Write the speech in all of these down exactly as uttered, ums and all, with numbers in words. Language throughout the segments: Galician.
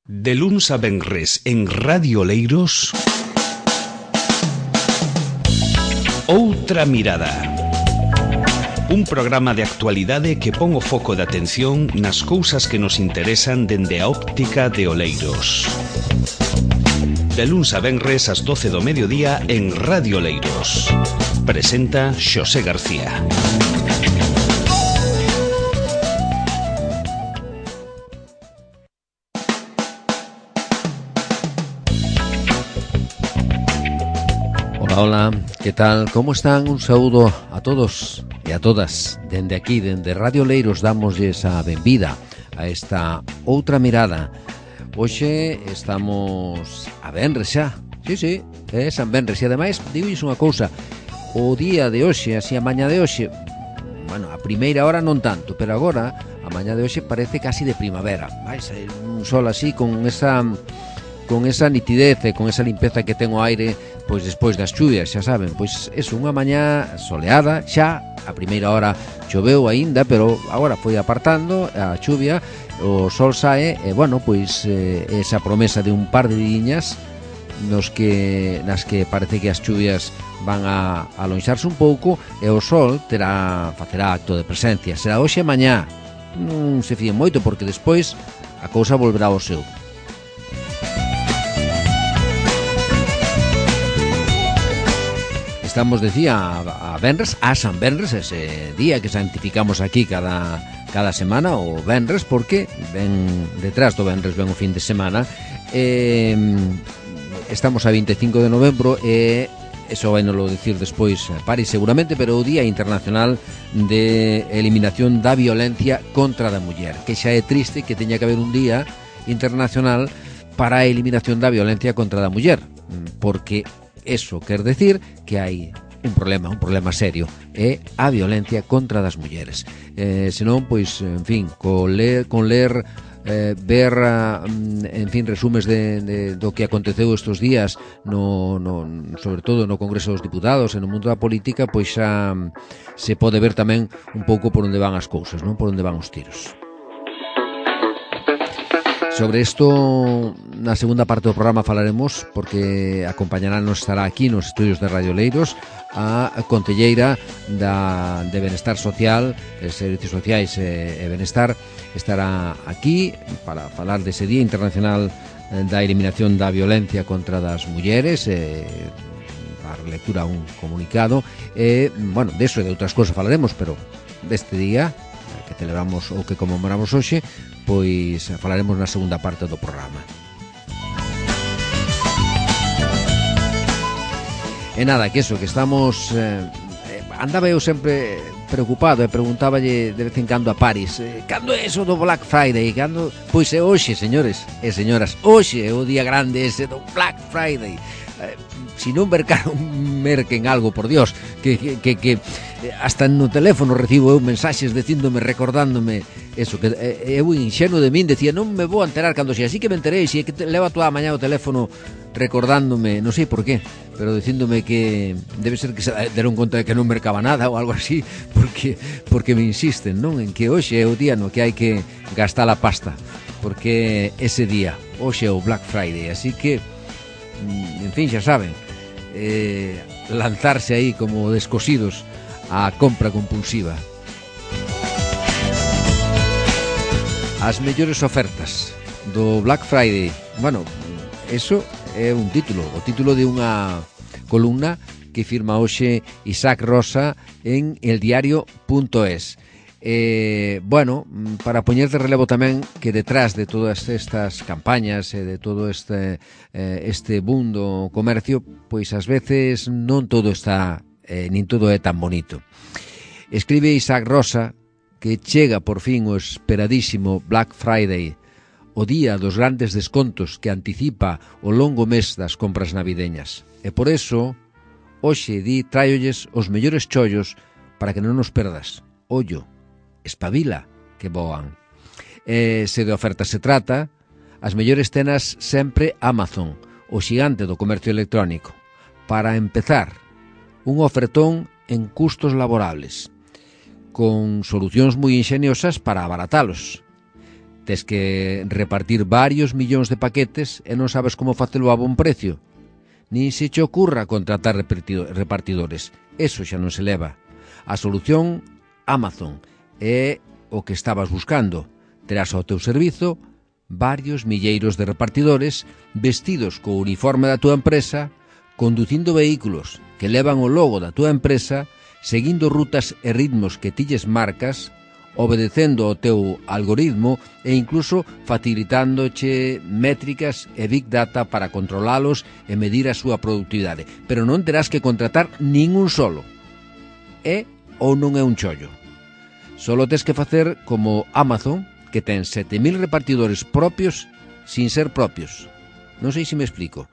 De luns a venres en Radio Leiros, Outra Mirada. Un programa de actualidade que pon o foco de atención nas cousas que nos interesan dende a óptica de Oleiros. De luns a venres ás doce do mediodía en Radio Leiros. Presenta Xosé García. Hola, que tal? Como están? Un saúdo a todos e a todas. Dende aquí, dende Radio Leiros, damosles a benvida a esta Outra Mirada. Hoxe estamos a venres xa. Sí, sí, é San Venres. E ademais, digo unha cousa, o día de hoxe, así a maña de hoxe, bueno, a primeira hora non tanto, pero agora, a maña de hoxe parece casi de primavera. Vai ser un sol así, con esa... con esa nitidez e con esa limpeza que ten o aire, pois despois das chuvias, xa saben, pois é unha mañá soleada, xa a primeira hora choveu aínda, pero agora foi apartando a chuvia, o sol sae e, bueno, pois eh, esa promesa de un par de diñas nos que, nas que parece que as chuvias van a alonxarse un pouco e o sol terá, facerá acto de presencia. Será hoxe e mañá, non se fíen moito porque despois a cousa volverá ao seu. Estamos, decía, a Venres, a San Venres, ese día que santificamos aquí cada, cada semana, o Venres, porque ven detrás do Venres ven o fin de semana. Eh, estamos a vinte e cinco de novembro e eso vai nos lo dicir despois París seguramente, pero o Día Internacional de Eliminación da Violencia contra da Muller, que xa é triste que teña que haber un día internacional para a eliminación da violencia contra da muller, porque eso quer decir que hai un problema, un problema serio, é a violencia contra das mulleres. Eh, senón, pois, en fin, con ler, con ler eh, ver, en fin, resumes de, de, do que aconteceu estes días, no, no, sobre todo no Congreso dos Diputados e no mundo da política, pois xa se pode ver tamén un pouco por onde van as cousas, non? Por onde van os tiros. Sobre isto, na segunda parte do programa falaremos, porque acompañaránnos, estará aquí nos estudios de Radio Leiros a concelleira da, de Benestar Social, de Servicios Sociais e, e Benestar, estará aquí para falar dese Día Internacional da Eliminación da Violencia contra das Mulleres, e dar lectura a un comunicado, e, bueno, deso e de outras cousas falaremos, pero deste día que celebramos ou que conmemoramos hoxe, pois falaremos na segunda parte do programa. E nada, que eso, que estamos eh, andaba eu sempre preocupado e preguntáballe de vez en cando a París, eh, cando é eso do Black Friday? Cando? Pois é hoxe, señores e señoras, hoxe é o día grande ese do Black Friday. Eh, si non mercaron, merquen algo, por Dios, que, que, que, que hasta no teléfono recibo eu mensaxes dicíndome, recordándome eso, que eh, eu inxenuo de min decía, non me vou a enterar cando xe, así que me enterei, si é que levo a toda a mañá o teléfono recordándome, non sei por qué, pero dicíndome que debe ser que se deron conta de que non mercaba nada ou algo así, porque porque me insisten, non, en que hoxe é o día no que hai que gastar a pasta, porque ese día, hoxe é o Black Friday, así que en fin, xa saben, eh, lanzarse aí como descosidos a compra compulsiva. As mellores ofertas do Black Friday. Bueno, eso é un título, o título de unha columna que firma hoxe Isaac Rosa en eldiario punto es. Eh, bueno, para poñer de relevo tamén que detrás de todas estas campañas e de todo este eh, este boom do comercio, pois ás veces non todo está, eh, nin todo é tan bonito. Escribe Isaac Rosa que chega por fin o esperadísimo Black Friday, o día dos grandes descontos que anticipa o longo mes das compras navideñas. E por eso, hoxe di traolles os mellores chollos para que non nos perdas. Ollo, espabila, que voan. E se de ofertas se trata, as mellores tenas sempre Amazon, o xigante do comercio electrónico. Para empezar, un ofertón en custos laborables, con solucións moi inxeniosas para abaratalos. tes que repartir varios millóns de paquetes e non sabes como facelo a bon precio. Nin se che ocurra contratar repartidores. Eso xa non se leva. A solución, Amazon, é o que estabas buscando. Terás ao teu servizo varios milleiros de repartidores vestidos co uniforme da túa empresa, conducindo vehículos que levan o logo da túa empresa, seguindo rutas e ritmos que tilles marcas, obedecendo ao teu algoritmo e incluso facilitándoche métricas e big data para controlalos e medir a súa productividade. Pero non terás que contratar ningún solo. É ou non é un chollo. Solo tes que facer como Amazon, que ten sete mil repartidores propios sin ser propios. Non sei se me explico.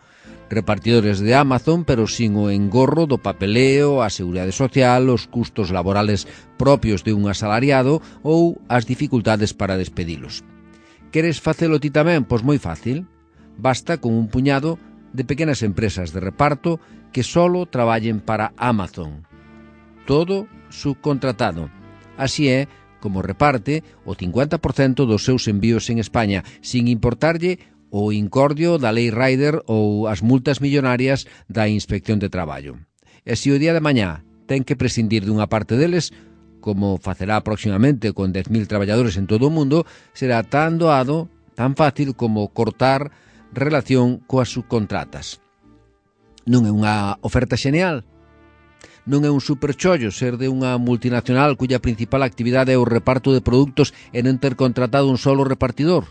Repartidores de Amazon, pero sin o engorro do papeleo, a seguridade social, os custos laborales propios de un asalariado ou as dificultades para despedilos. Queres facelo ti tamén? Pois moi fácil. Basta con un puñado de pequenas empresas de reparto que solo traballen para Amazon. Todo subcontratado. Así é como reparte o cincuenta por cento dos seus envíos en España, sin importarlle o incordio da Lei Rider ou as multas millonarias da Inspección de Traballo. E se o día de mañá ten que prescindir dunha parte deles, como facerá próximamente con dez mil traballadores en todo o mundo, será tan doado, tan fácil como cortar relación coas subcontratas. Non é unha oferta xeneal? Non é un superchollo ser de unha multinacional cuya principal actividade é o reparto de produtos e non ter contratado un solo repartidor?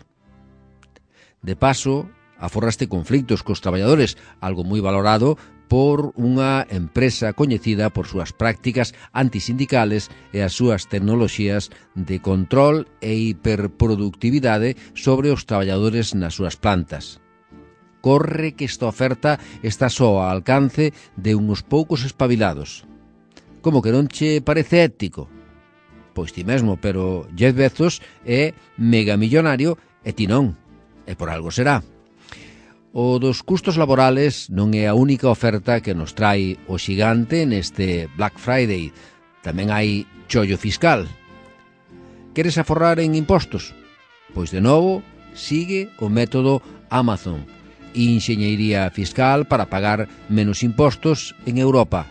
De paso, aforraste conflictos cos traballadores, algo moi valorado por unha empresa coñecida por súas prácticas antisindicales e as súas tecnoloxías de control e hiperproductividade sobre os traballadores nas súas plantas. Corre que esta oferta está só ao alcance de uns poucos espabilados. Como que non che parece ético? Pois ti mesmo, pero Jeff Bezos é megamillonario e ti non. E por algo será. O dos custos laborales non é a única oferta que nos trai o xigante neste Black Friday. Tamén hai chollo fiscal. Queres aforrar en impostos? Pois de novo, sigue o método Amazon. Enxeñería fiscal para pagar menos impostos en Europa.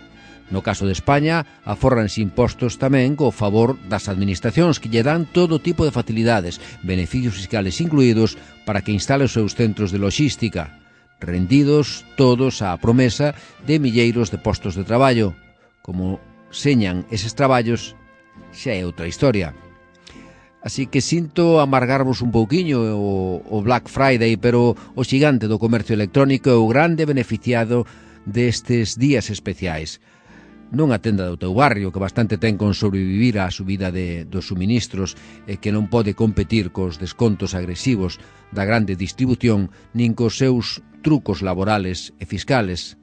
No caso de España, aforranse impostos tamén co favor das administracións que lle dan todo tipo de facilidades, beneficios fiscales incluídos, para que instale os seus centros de logística, rendidos todos á promesa de milleiros de postos de traballo. Como señan eses traballos, xa é outra historia. Así que sinto amargarvos un pouquiño o, o Black Friday, pero o xigante do comercio electrónico é o grande beneficiado destes días especiais. Non a tenda do teu barrio, que bastante ten con sobrevivir á subida de, dos suministros e que non pode competir cos descontos agresivos da grande distribución nin cos seus trucos laborales e fiscales.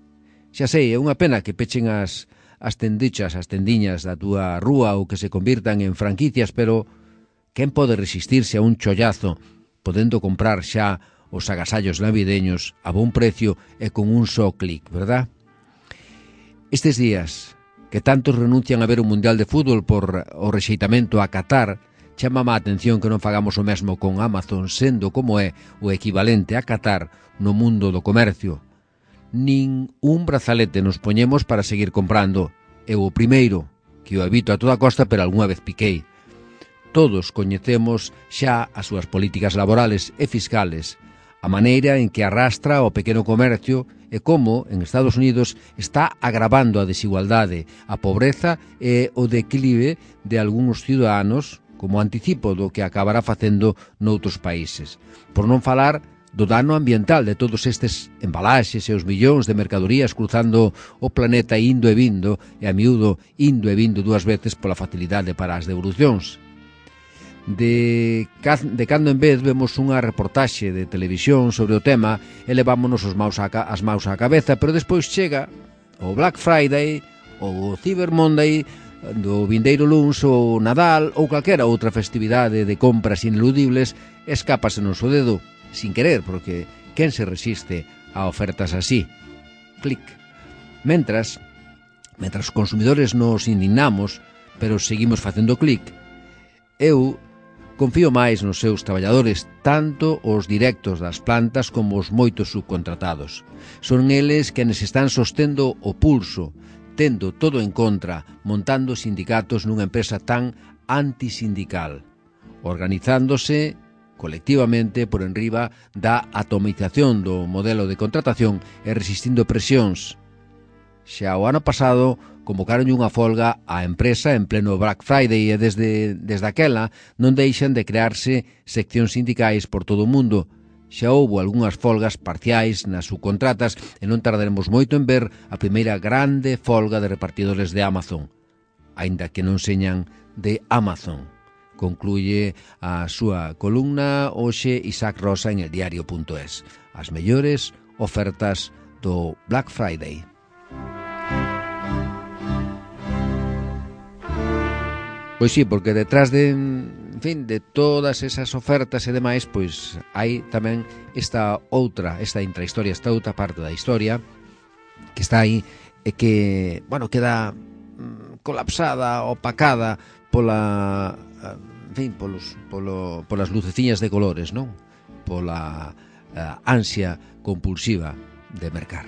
Xa sei, é unha pena que pechen as, as tendichas, as tendiñas da túa rúa ou que se convirtan en franquicias, pero quen pode resistirse a un chollazo podendo comprar xa os agasallos navideños a bon precio e con un só clic, verdad? Estes días que tantos renuncian a ver o Mundial de Fútbol por o rexeitamento a Qatar, chamame a atención que non fagamos o mesmo con Amazon, sendo como é o equivalente a Qatar no mundo do comercio. Nin un brazalete nos poñemos para seguir comprando. Eu o primeiro, que o evito a toda costa, pero algunha vez piquei. Todos coñecemos xa as súas políticas laborales e fiscales, a maneira en que arrastra o pequeno comercio e como, en Estados Unidos, está agravando a desigualdade, a pobreza e o declive de algúns ciudadanos como anticipo do que acabará facendo noutros países. Por non falar do dano ambiental de todos estes embalaxes e os millóns de mercadorías cruzando o planeta indo e vindo, e a miúdo indo e vindo dúas veces pola facilidade para as devolucións. De, de cando en vez vemos unha reportaxe de televisión sobre o tema e levámonos os maus a, as maus á cabeza, pero despois chega o Black Friday, o Cyber Monday, do vindeiro luns, o Nadal ou calquera outra festividade de compras ineludibles, escápasenos o dedo, sin querer, porque quen se resiste a ofertas así? Clic. Mentras, mentras os consumidores nos indignamos, pero seguimos facendo clic, eu confío máis nos seus traballadores, tanto os directos das plantas como os moitos subcontratados. Son eles quenes están sostendo o pulso, tendo todo en contra, montando sindicatos nunha empresa tan antisindical, organizándose colectivamente por enriba da atomización do modelo de contratación e resistindo presións. Xa o ano pasado convocaron unha folga á empresa en pleno Black Friday e desde, desde aquela non deixan de crearse seccións sindicais por todo o mundo. Xa houbo algunhas folgas parciais nas subcontratas e non tardaremos moito en ver a primeira grande folga de repartidores de Amazon, aínda que non señan de Amazon. Concluye a súa columna hoxe Isaac Rosa en el diario punto es. As mellores ofertas do Black Friday. Pois sí, porque detrás de, en fin, de todas esas ofertas e demais, pois hai tamén esta outra, esta intrahistoria, esta outra parte da historia que está aí e que, bueno, queda mm, colapsada, opacada pola, en fin, polos, polo, polas luceciñas de colores, non? Pola uh, ansia compulsiva de mercar.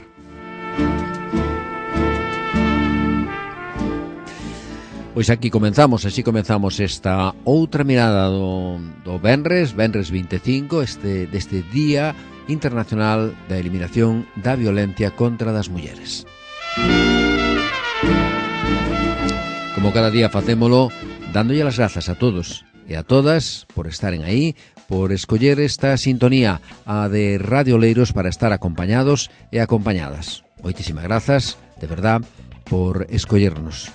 Pois aquí comenzamos, así comenzamos esta outra mirada do, do Venres, Venres vinte e cinco, este, deste Día Internacional da Eliminación da Violencia contra das Mulleres. Como cada día facémolo, dándolle as grazas a todos e a todas por estaren aí, por escoller esta sintonía, a de Radio Oleiros, para estar acompañados e acompañadas. Moitísimas grazas, de verdad, por escollernos.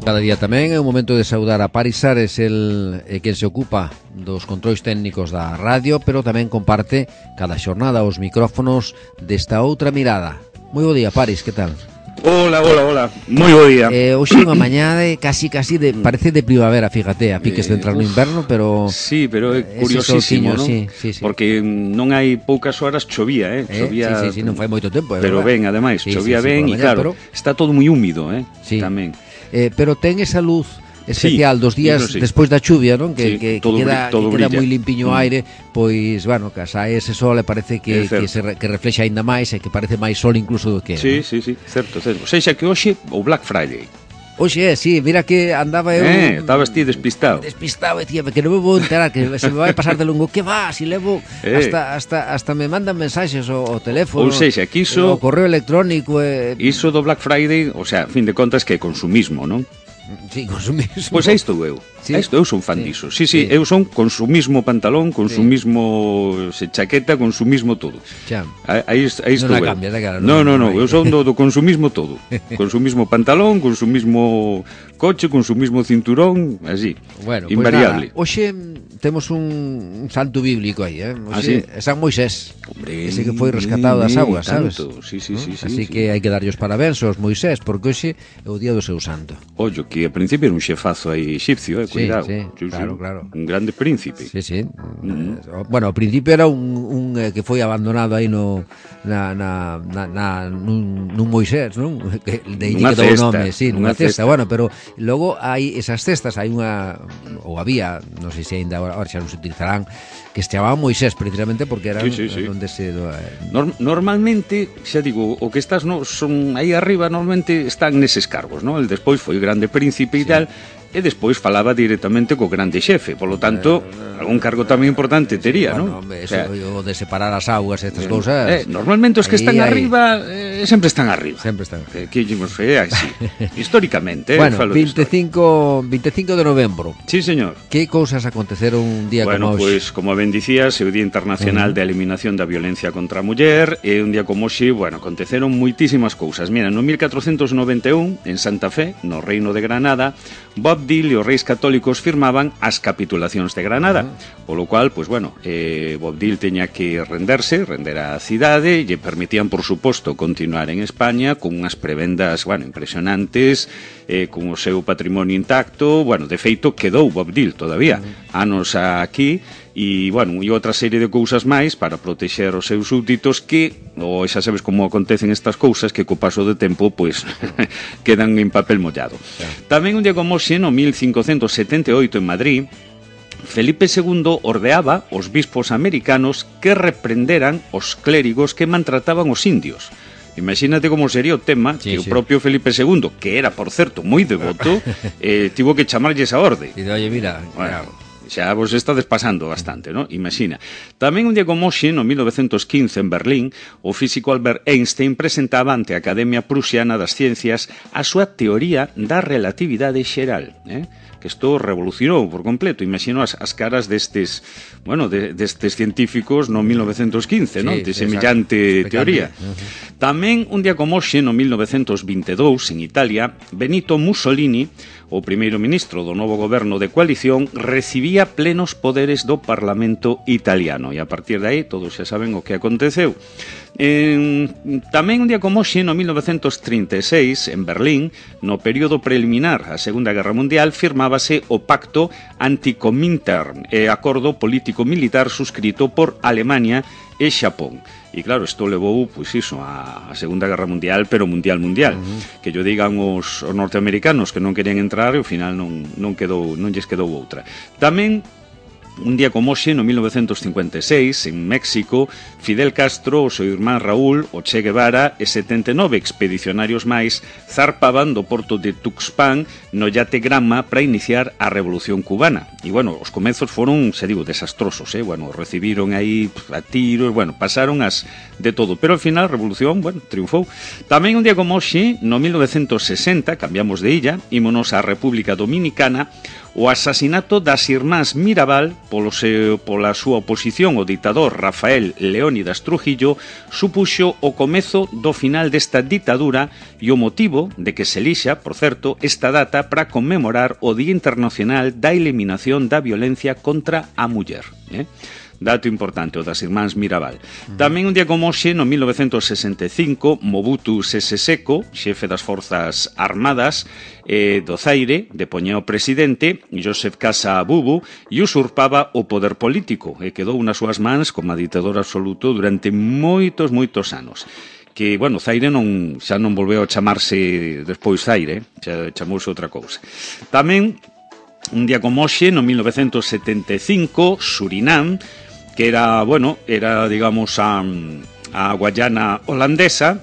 Cada día tamén é un momento de saudar a Paris Ares, el eh, quen se ocupa dos controis técnicos da radio, pero tamén comparte cada xornada os micrófonos desta outra mirada. Moi bo día, Paris, que tal? Hola, hola, hola, moi bo día. Eh, hoxe unha mañá de casi, casi de, parece de primavera, fíjate, a piques de entrar no inverno, pero... Sí, pero é curiosísimo, non? Sí, sí, sí. Porque non hai poucas horas chovía, eh? eh Chovía, sí, sí, sí, non fai moito tempo, eh, pero ben, ademais, sí, chovía sí, sí, ben, e mañá, claro, pero... está todo moi húmido, eh? Sí. Tamén. Eh, pero ten esa luz especial sí, dos días sí. despois da chuvia, non? Que, Sí, que, todo que queda, todo que queda brilla. moi limpiño o aire, pois, bueno, que sae ese sol e parece que, que, se, que reflexa aínda máis e que parece máis sol incluso do que é. Sí, ¿no? sí, sí, certo, certo. O sea, que hoxe o Black Friday. Oxe, sí, mira que andaba eu... Eh, estabas ti despistado. Despistado, e tía, que non me vou enterar, que se me vai pasar de longo. Que va, si levo... Eh. Hasta, hasta, hasta me mandan mensaxes o, o teléfono. Ou seja, que iso... O correo electrónico... Eh... Iso do Black Friday, o sea, a fin de contas que é consumismo, non? Sí, consumismo. Pois aí estou eu. Sí. Aí estou, eu son fan Sí. diso. Sí, sí, Sí. eu son consumismo pantalón, consumismo se chaqueta, consumismo todo. Xa. Aí, aí estou Non a eu. cambias, eh, cara, No, non- no, no, non hai. eu son do, do consumismo todo. Consumismo pantalón, consumismo coche, consumismo cinturón, así. Bueno, pois invariable. nada, hoxe temos un, un santo bíblico aí, eh? Ah, Hoxe, sí? é San Moisés. Hombre, Ese que foi rescatado das eh, augas, sabes? tanto. Sí, sí, ¿No? sí, sí, Así sí. que hai que darlle os parabéns aos Moisés, porque hoxe é o día do seu santo. Ollo, que a principio era un xefazo aí exipcio, eh, Sí, cuidado. sí, claro, claro. Un grande príncipe. Sí, sí. Eh, Bueno, ao principio era un, un eh, que foi abandonado aí no na, na, na, na nun, nun Moisés, non? Que de aí Nunha que dou o cesta, nome, sí, nunha nunha cesta. cesta. Bueno, pero logo hai esas cestas, hai unha ou había, non sei se aínda agora xa non se utilizarán, que se chamaban Moisés precisamente porque eran Sí, sí, sí. onde se eh, Norm- normalmente, xa digo, o que estás no, son aí arriba normalmente están neses cargos, non? El despois foi grande príncipe e tal, e despois falaba directamente co grande xefe, polo tanto, algún cargo tamén importante tería, bueno, non? hombre, eso, o de separar as augas e estas cousas. eh, normalmente os que aí, están aí. arriba eh, sempre están arriba. Sempre están. Que, que nos é así. Históricamente, eh, Bueno, falo de historia. veinticinco de novembro. Sí, señor. Que cousas aconteceron un día Bueno, como hoxe? pois, como ben dicías, é o Día Internacional uh -huh. de Eliminación da Violencia contra a Muller, e un día como hoxe, bueno, aconteceron moitísimas cousas. Mira, no mil catrocentos noventa e un, en Santa Fe, no Reino de Granada, Bob Dill e os reis católicos firmaban as capitulacións de Granada, uh -huh. polo cual, pois, bueno, eh, Bob Dill teña que renderse, render a cidade, e lle permitían, por suposto, continuar en España con unhas prebendas, bueno, impresionantes, eh, con o seu patrimonio intacto. Bueno, de feito, quedou Bob Dill todavía, uh -huh. anos aquí, e, bueno, e outra serie de cousas máis para protexer os seus súbditos que, ou xa sabes como acontecen estas cousas, que co paso do tempo, pois, quedan en papel mollado. Tamén un día como hoxe, no mil cincocentos setenta e oito en Madrid, Felipe segundo ordeaba os bispos americanos que reprenderan os clérigos que maltrataban os indios. Imagínate como sería o tema, sí, que sí. O propio Felipe segundo, que era, por certo, moi devoto, eh, tivo que chamarlle esa orde. E de, oye, mira, bueno, xa vos estades pasando bastante, ¿no? Imagina. Tamén un día como hoxe, no mil novecentos quince, en Berlín, o físico Albert Einstein presentaba ante a Academia Prusiana das Ciencias a súa teoría da relatividade xeral, eh? Que isto revolucionou por completo. Imagino as, as caras destes, bueno, de, destes científicos no mil novecentos quince, sí, non? De semellante teoría. Uh-huh. Tamén un día como hoxe, no mil novecentos vinte e dous, en Italia, Benito Mussolini, o primeiro ministro do novo goberno de coalición, recibía plenos poderes do Parlamento italiano. E a partir de aí, todos xa saben o que aconteceu. Eh, tamén un día como hoxe, no mil novecentos trinta e seis, en Berlín, no período preliminar á Segunda Guerra Mundial, firmábase o Pacto Anticomintern, e acordo político-militar suscrito por Alemania e Xapón. E claro, isto levou, pois iso, a Segunda Guerra Mundial, pero mundial mundial. Uh-huh. Que yo digan os, os norteamericanos que non querían entrar e ao final non, non, quedou, non lles quedou outra. Tamén un día como hoxe, no mil novecentos cincuenta e seis, en México, Fidel Castro, o seu irmán Raúl, o Che Guevara e setenta e nove expedicionarios máis zarpaban do porto de Tuxpan no yate Granma para iniciar a Revolución Cubana. E, bueno, os comezos foron, se digo, desastrosos, eh? Bueno, recibiron aí a tiros, bueno, pasaron as de todo, pero ao final a Revolución, bueno, triunfou. Tamén un día como hoxe, no mil novecentos sesenta, cambiamos de illa, ímonos á República Dominicana, o asasinato das irmás Mirabal polo seu, pola súa oposición ao ditador Rafael Leónidas Trujillo supuxo o comezo do final desta ditadura e o motivo de que se elixa, por certo, esta data para conmemorar o Día Internacional da Eliminación da Violencia contra a Muller, eh? Dato importante, o das irmáns Mirabal. Uh-huh. Tamén un día como hoxe, no mil novecentos sesenta e cinco, Mobutu Sese Seko, xefe das Forzas Armadas eh, do Zaire, depoñía o presidente, Joseph Casa Bubu, e usurpaba o poder político, e quedou nas súas mans como ditador absoluto durante moitos, moitos anos. Que, bueno, Zaire non, xa non volveu a chamarse despois Zaire, xa chamouse outra cousa. Tamén, un día como hoxe, no mil novecentos setenta e cinco, Surinam, que era, bueno, era, digamos, a, a Guayana holandesa,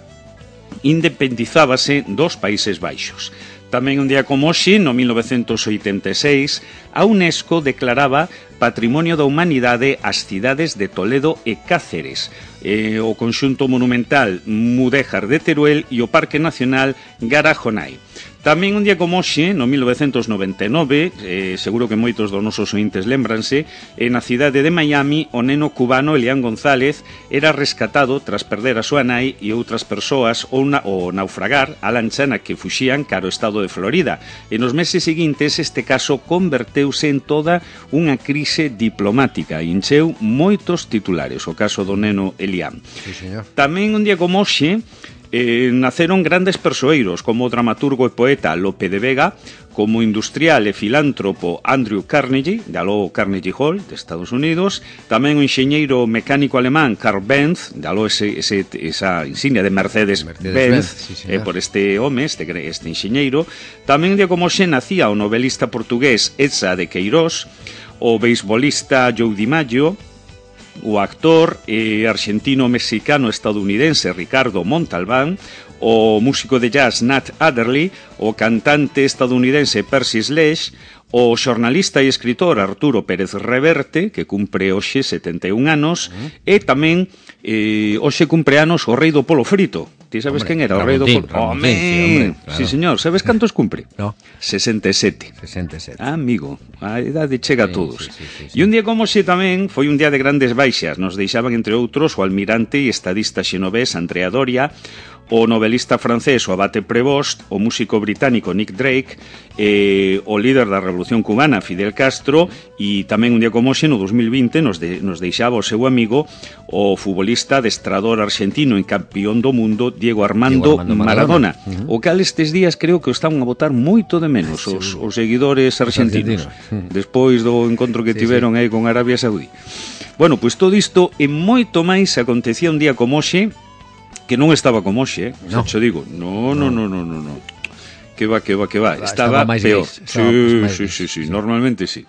independizábase dos Países Baixos. Tamén un día como hoxe, no mil novecentos oitenta e seis, a UNESCO declaraba Patrimonio da Humanidade as cidades de Toledo e Cáceres, eh, o conxunto monumental Mudéjar de Teruel e o Parque Nacional Garajonai. Tamén un día como hoxe, no mil novecentos noventa e nove, eh, seguro que moitos dos nosos ointes lémbranse, eh, na cidade de Miami, o neno cubano Elián González era rescatado tras perder a súa nai e outras persoas ou, na, ou naufragar a lancha na que fuxían cara ao estado de Florida. E nos meses seguintes este caso converteuse en toda unha crise diplomática e encheu moitos titulares, o caso do neno Elián. Sí, señor. Tamén un día como hoxe, Eh, naceron grandes persoeiros como o dramaturgo e poeta Lope de Vega, como industrial e filántropo Andrew Carnegie, de aló Carnegie Hall, de Estados Unidos, tamén o enxeñeiro mecánico alemán Karl Benz, de aló ese, ese, esa insignia de Mercedes-Benz, Mercedes sí, eh, por este home, este, este enxeñeiro. Tamén de como xe nacía o novelista portugués Eça de Queirós, o beisbolista Joe DiMaggio, o actor eh, argentino-mexicano-estadounidense Ricardo Montalbán, o músico de jazz Nat Adderley, o cantante estadounidense Percy Sledge, o xornalista e escritor Arturo Pérez Reverte, que cumpre hoxe setenta e un anos, uh-huh. e tamén eh, hoxe cumpre anos o rei do polo frito. Ti sabes quen era o rei do polo? Home, sí, claro. Sí, señor. Sabes cantos cumpre? No. sesenta e sete. sesenta e sete. Ah, amigo, a idade chega sí, a todos. Sí, sí, sí, sí. E un día como xe tamén foi un día de grandes baixas. Nos deixaban, entre outros, o almirante e estadista xenovés Andrea Doria, o novelista francés o Abate Prevost, o músico británico Nick Drake, eh, o líder da Revolución Cubana Fidel Castro, e tamén un día como hoxe, no dos mil vinte, nos, de, nos deixaba o seu amigo, o futbolista adestrador argentino e campeón do mundo Diego Armando, Diego Armando Maradona, Maradona. Uh-huh. O cal estes días creo que o están a botar moito de menos os, os seguidores argentinos, uh-huh. despois do encontro que sí, tiveron sí. aí con Arabia Saudí. Bueno, pois todo isto e moito máis acontecía un día como hoxe, que non estaba como hoxe, eh? No. Xa digo, no, no, no, no, no, no. Que va, que va, que va. Estaba, estaba peor. Gris, estaba sí, sí, sí, sí, sí, normalmente sí.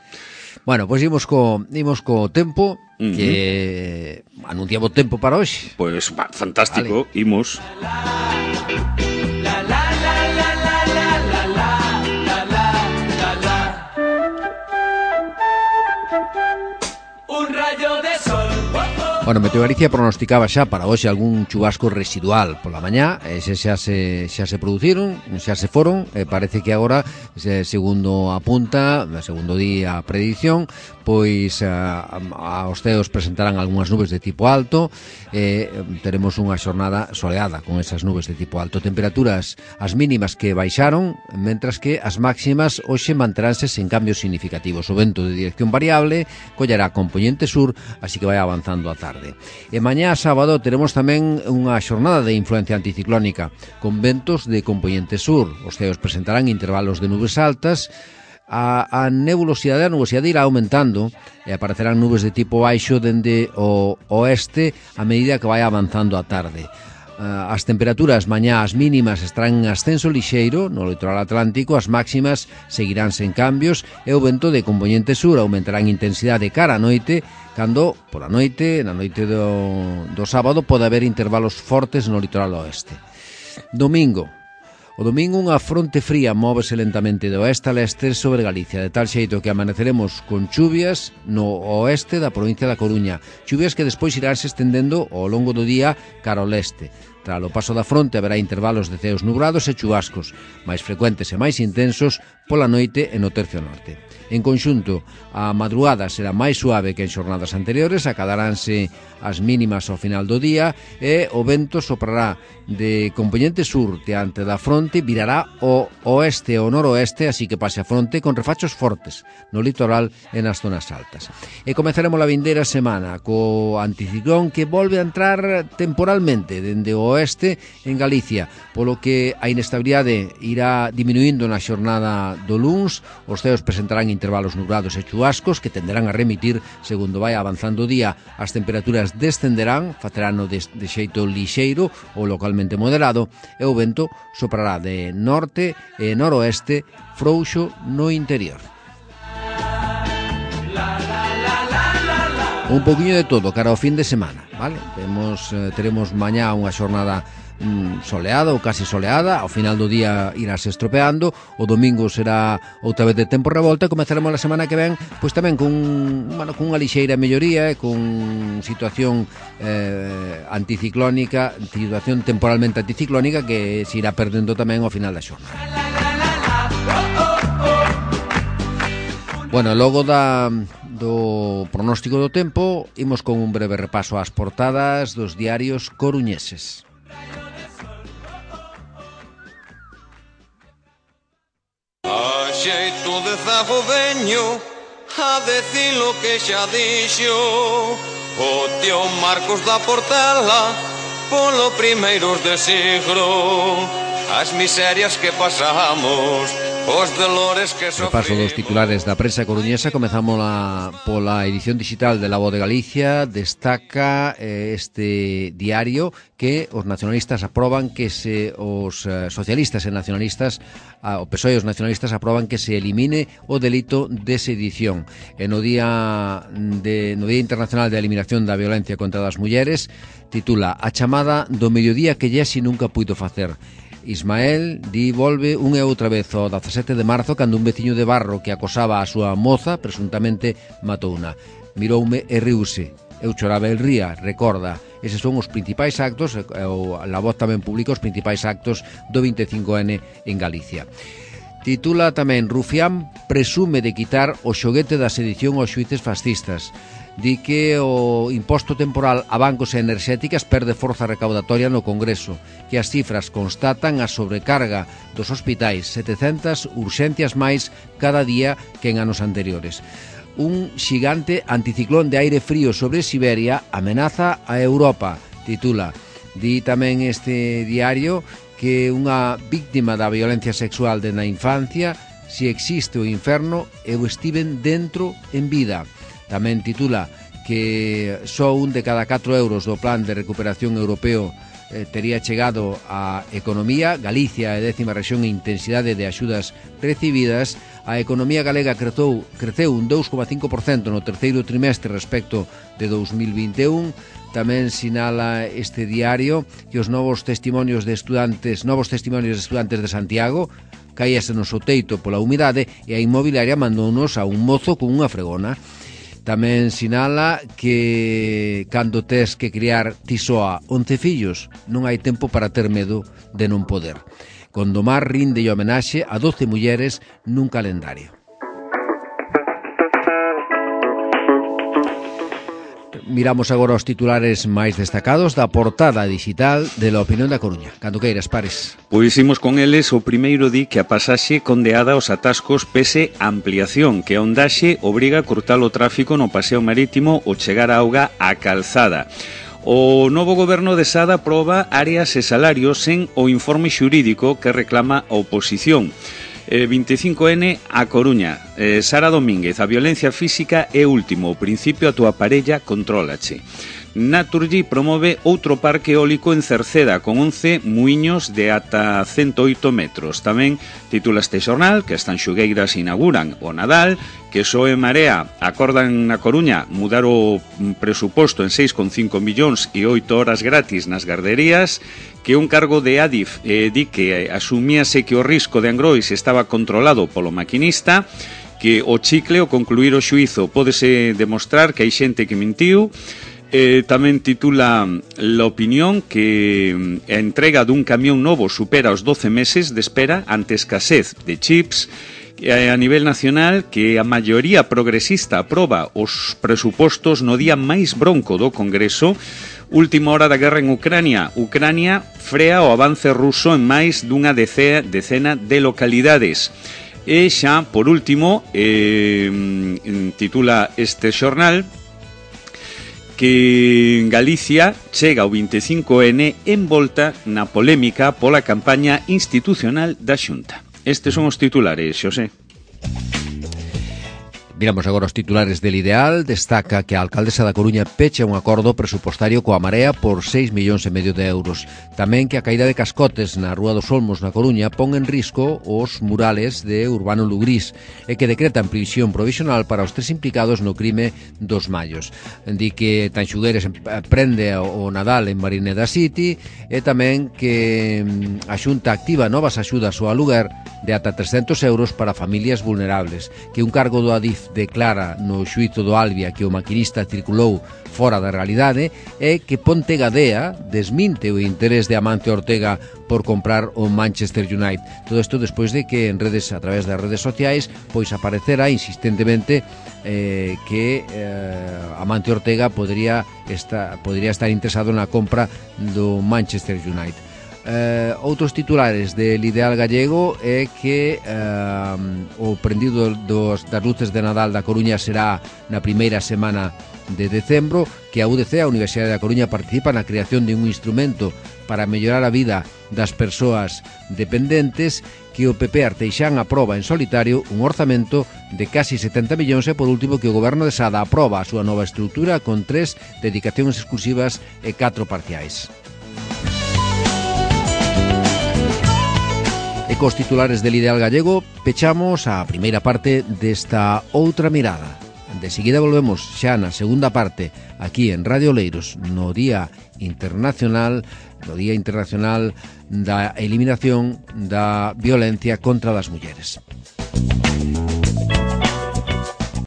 Bueno, pois pues imos co, imos co tempo, uh-huh. que anunciamos tempo para hoxe. Pois, pues, fantástico, vale. Imos. Bueno, Meteo Galicia pronosticaba xa para hoxe algún chubasco residual pola mañá, ese xa se, xa se produciron, xa se foron, e parece que agora, segundo apunta, segundo día a predición, pois a, a, os ceos presentarán algunhas nubes de tipo alto, e teremos unha xornada soleada con esas nubes de tipo alto. Temperaturas as mínimas que baixaron, mentras que as máximas hoxe manteránse sen cambios significativos. O vento de dirección variable collará componente sur, así que vai avanzando a tarde. E mañá sábado teremos tamén unha xornada de influencia anticiclónica con ventos de componente sur. Os ceos presentarán intervalos de nubes altas, a, a nebulosidade a nubosidade irá aumentando e aparecerán nubes de tipo baixo dende o oeste a medida que vai avanzando a tarde. As temperaturas mañá as mínimas estarán en ascenso lixeiro no litoral atlántico, as máximas seguirán sen cambios e o vento de componente sur aumentará en intensidade cara a noite, cando pola noite, na noite do, do sábado, pode haber intervalos fortes no litoral oeste. Domingo. O domingo unha fronte fría móvese lentamente de oeste a leste sobre Galicia, de tal xeito que amaneceremos con chuvias no oeste da provincia da Coruña, chuvias que despois iránse estendendo ao longo do día cara ao leste. Tras o paso da fronte haberá intervalos de ceos nubrados e chubascos, máis frecuentes e máis intensos pola noite e no tercio norte. En conxunto, a madrugada será máis suave que en xornadas anteriores, acadaránse as mínimas ao final do día e o vento soprará de componente sur diante da fronte, virará o oeste ou noroeste, así que pase a fronte con refachos fortes no litoral e nas zonas altas. E comezaremos a vindeira semana co anticiclón que volve a entrar temporalmente dende o oeste en Galicia, polo que a inestabilidade irá diminuindo na xornada do luns, os ceos presentarán intervalos nublados e chubascos que tenderán a remitir segundo vai avanzando o día. As temperaturas descenderán, facerano de, de xeito lixeiro ou localmente moderado, e o vento soprará de norte e noroeste frouxo no interior. Un poquinho de todo cara ao fin de semana, vale? Temos, eh, teremos mañá unha xornada mm, soleada ou casi soleada, ao final do día irase estropeando, o domingo será outra vez de tempo revolta, e comezaremos a semana que ven pois tamén con, bueno, con unha lixeira melloría e con situación eh, anticiclónica, situación temporalmente anticiclónica que se irá perdendo tamén ao final da xornada. Bueno, logo da do pronóstico do tempo, imos con un breve repaso ás portadas dos diarios coruñeses. A xeito de zago veño a decir lo que xa dixo o tío Marcos da Portela polo primeiros de siglo, as miserias que pasamos, os dolores que sofrimos. Repaso dos titulares da prensa coruñesa. Comezamos la, pola edición digital de La Voz de Galicia. Destaca eh, este diario que os nacionalistas aproban que se os eh, socialistas e nacionalistas, ah, o P S O E e os nacionalistas aproban que se elimine o delito de sedición. E no día de no Día Internacional de Eliminación da Violencia contra as Mulleres, titula A chamada do mediodía que Jesse nunca puido facer. Ismael di volve unha e outra vez o dezasete de marzo cando un veciño de Barro que acosaba a súa moza presuntamente matouna. Miroume e riuse. Eu choraba el ría, recorda. Eses son os principais actos, o La Voz tamén publica os principais actos do vinte e cinco ene en Galicia. Titula tamén: Rufián presume de quitar o xoguete da sedición aos xuíces fascistas. Di que o imposto temporal a bancos e enerxéticas perde forza recaudatoria no Congreso, que as cifras constatan a sobrecarga dos hospitais, setecentas urxencias máis cada día que en anos anteriores. Un xigante anticiclón de aire frío sobre Siberia amenaza a Europa, titula. Di tamén este diario que unha víctima da violencia sexual de na infancia: si existe o inferno, eu estiven dentro en vida. Tamén titula que só un de cada catro euros do plan de recuperación europeo eh, tería chegado á economía. Galicia é décima rexión en intensidade de axudas recibidas. A economía galega creceu, creceu un dous coma cinco por cento no terceiro trimestre respecto de dous mil vinte e un. Tamén sinala este diario que os novos testimonios de estudantes, novos testimonios de estudantes de Santiago caíase no seu teito pola humidade e a inmobiliaria mandounos a un mozo con unha fregona. Tamén sinala que cando tes que criar ti soa once fillos, non hai tempo para ter medo de non poder. Condomar rinde homenaxe a doce mulleres nun calendario. Miramos agora os titulares máis destacados da portada digital de La Opinión da Coruña. Cando queiras, Pares. Pois imos con eles. O primeiro di que a pasaxe condeada aos atascos pese a ampliación, que a ondaxe obriga a cortar o tráfico no paseo marítimo ou chegar a auga á calzada. O novo goberno de Sada aproba áreas e salarios sen o informe xurídico que reclama a oposición. Eh, vinte e cinco ene a Coruña. eh, Sara Domínguez: a violencia física é último, o principio a túa parella contrólache. Naturgy promove outro parque eólico en Cerceda con once muiños de ata cento oito metros. Tamén titula este xornal que as Tanxugueiras inauguran o Nadal, que P S O E e Marea acordan na Coruña mudar o presuposto en seis coma cinco millóns e oito horas gratis nas garderías, que un cargo de Adif eh, di que asumíase que o risco de Angrois estaba controlado polo maquinista, que o chicle ao concluir o xuízo pódese demostrar que hai xente que mentiu. Eh, tamén titula La Opinión que a entrega dun camión novo supera os doce meses de espera ante escasez de chips. A nivel nacional, que a maioría progresista aproba os presupostos no día máis bronco do Congreso. Última hora da guerra en Ucrania. Ucrania frea o avance ruso en máis dunha decea, decena de localidades. E xa, por último, eh, titula este xornal que Galicia chega ao vinte e cinco ene envolta na polémica pola campaña institucional da Xunta. Estes son os titulares, Xosé. Miramos agora os titulares del Ideal. Destaca que a alcaldesa da Coruña pecha un acordo presupostario coa Marea por seis millóns e medio de euros. Tamén que a caída de cascotes na Rúa dos Olmos na Coruña pon en risco os murales de Urbano Lugrís e que decretan prisión provisional para os tres implicados no crime dos Mallos. Di que Tanxugueres prende o Nadal en Marineda City e tamén que a Xunta activa novas axudas ao aluguer de ata trescentos euros para familias vulnerables, que un cargo do Adif declara no xuízo do Albia que o maquinista circulou fora da realidade e que Ponte Gadea desminte o interés de Amancio Ortega por comprar o Manchester United. Todo isto despois de que en redes, a través das redes sociais, pois aparecera insistentemente eh, que eh, Amancio Ortega podría estar, podría estar interesado na compra do Manchester United. Eh, outros titulares del Ideal Gallego é que eh, o prendido dos, das luces de Nadal da Coruña será na primeira semana de decembro, que a U D C, a Universidade da Coruña, participa na creación de un instrumento para mellorar a vida das persoas dependentes, que o P P Arteixán aproba en solitario un orzamento de casi setenta millóns e, por último, que o goberno de Sada aproba a súa nova estrutura con tres dedicacións exclusivas e catro parciais. E cos titulares del Ideal Gallego pechamos a primeira parte desta Outra Mirada. De seguida volvemos xa na segunda parte aquí en Radio Oleiros no Día Internacional no Día Internacional da Eliminación da Violencia contra as Mulleres.